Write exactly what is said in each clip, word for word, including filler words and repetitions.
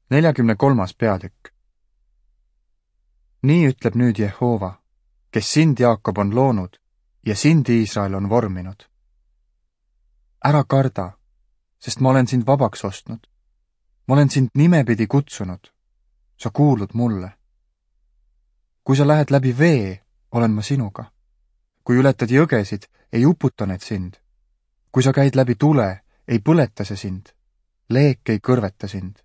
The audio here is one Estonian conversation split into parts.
neljakümne kolmas peatükk. Nii ütleb nüüd Jehova, kes sind, Jaakob, on loonud ja sind, Iisrael, on vorminud. Ära karda, sest ma olen sind vabaks ostnud. Ma olen sind nimepidi kutsunud. Sa kuulud mulle. Kui sa lähed läbi vee, olen ma sinuga. Kui ületad jõgesid, ei uputa need sind. Kui sa käid läbi tule, ei põleta see sind. Leek ei kõrveta sind.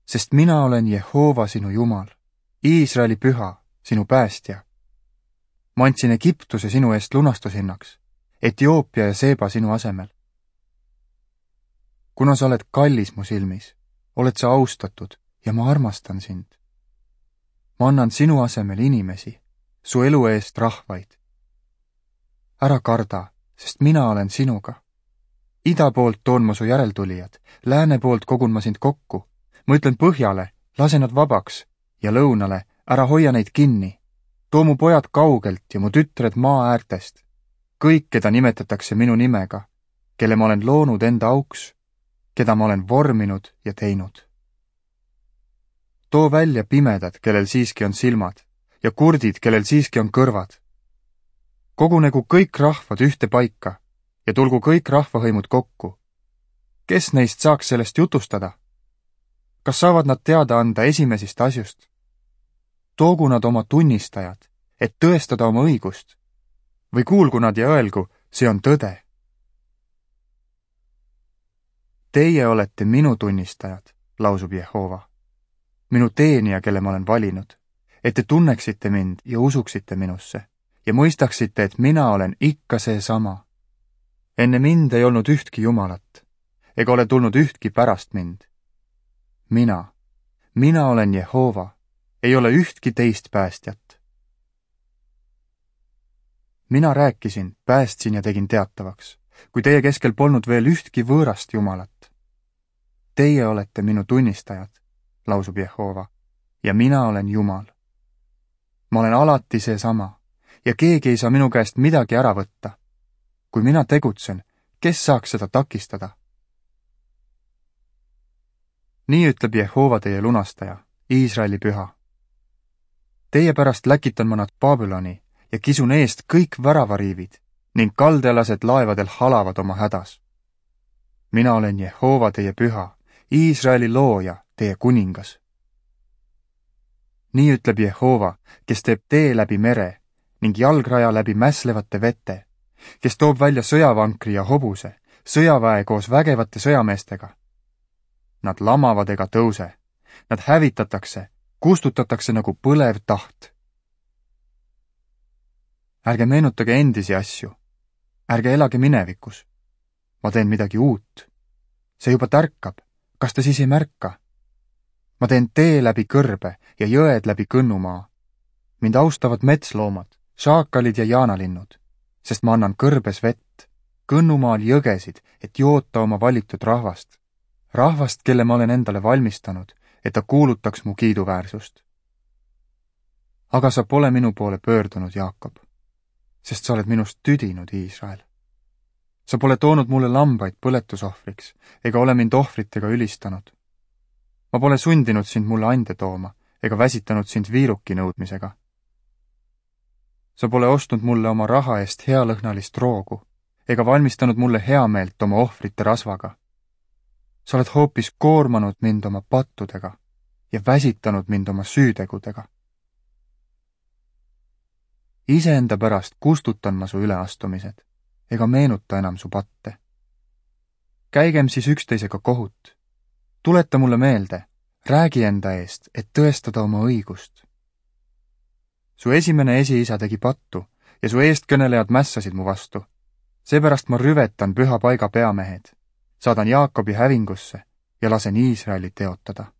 Sest mina olen Jehova sinu Jumal, Iisraeli püha, sinu päästja. Ma andsin Egiptuse sinu eest lunastushinnaks, Etioopia ja Seeba sinu asemel. Kuna sa oled kallis mu silmis, oled sa austatud ja ma armastan sind. Ma annan sinu asemel inimesi, su elu eest rahvaid. Ära karda, sest mina olen sinuga. Ida poolt toon ma su järeltulijad, lääne poolt kogun ma sind kokku. Ma ütlen põhjale, lase nad vabaks, ja lõunale, ära hoia neid kinni. Too mu pojad kaugelt ja mu tütred maa äärtest. Kõik, keda nimetatakse minu nimega, kelle ma olen loonud enda auks, keda ma olen vorminud ja teinud. Too välja pimedad, kellel siiski on silmad, ja kurdid, kellel siiski on kõrvad. Kogunegu kõik rahvad ühte paika ja tulgu kõik rahvahõimud kokku. Kes neist saaks sellest jutustada? Kas saavad nad teada anda esimesist asjust? Toogu nad oma tunnistajad, et tõestada oma õigust. Või kuulgu nad ja öelgu, see on tõde. Teie olete minu tunnistajad, lausub Jehova. Minu teenija, kelle ma olen valinud, et te tunneksite mind ja usuksite minusse ja mõistaksite, et mina olen ikka see sama. Enne mind ei olnud ühtki Jumalat, ega ole tulnud ühtki pärast mind. Mina, mina olen Jehova, ei ole ühtki teist päästjat. Mina rääkisin, päästsin ja tegin teatavaks, kui teie keskel polnud veel ühtki võõrast Jumalat. Teie olete minu tunnistajad, lausub Jehova, ja mina olen Jumal. Ma olen alati seesama ja keegi ei saa minu käest midagi ära võtta. Kui mina tegutsen, kes saaks seda takistada? Nii ütleb Jehova teie lunastaja, Iisraeli püha. Teie pärast läkitan ma nad Babyloni ja kisun eest kõik väravariivid ning kaldealased laevadel halavad oma hädas. Mina olen Jehova teie püha, Iisraeli looja, teie kuningas. Nii ütleb Jehova, kes teeb tee läbi mere ning jalgraja läbi mässlevate vete, kes toob välja sõjavankri ja hobuse, sõjaväe koos vägevate sõjameestega. Nad lamavad ega tõuse, nad hävitatakse, kustutatakse nagu põlev taht. Ärge meenutage endisi asju, ärge elage minevikus. Ma teen midagi uut. See juba tärkab, kas te siis ei märka? Ma teen tee läbi kõrbe ja jõed läbi kõnnumaa. Mind austavad metsloomad, šaakalid ja jaanalinnud, sest ma annan kõrbes vett, kõnnumaal jõgesid, et joota oma valitud rahvast. Rahvast, kelle ma olen endale valmistanud, et ta kuulutaks mu kiiduväärsust. Aga sa pole minu poole pöördunud, Jaakob, sest sa oled minust tüdinud, Iisrael. Sa pole toonud mulle lambaid põletusohvriks, ega ole mind ohvritega ülistanud. Ma pole sundinud sind mulle ande tooma, ega väsitanud sind viiruki nõudmisega. Sa pole ostnud mulle oma raha eest healõhnalist roogu, ega valmistanud mulle heameelt oma ohvrite rasvaga. Sa oled hoopis koormanud mind oma pattudega ja väsitanud mind oma süütegudega. Iseenda pärast kustutan ma su üleastumised, ega meenuta enam su patte. Käigem siis üksteisega kohut. Tuleta mulle meelde, räägi enda eest, et tõestada oma õigust. Su esimene esiisa tegi pattu ja su eestkõnelejad mässasid mu vastu. Seepärast ma rüvetan püha paiga peamehed. Saadan Jaakobi hävingusse ja lasen Iisraeli teotada.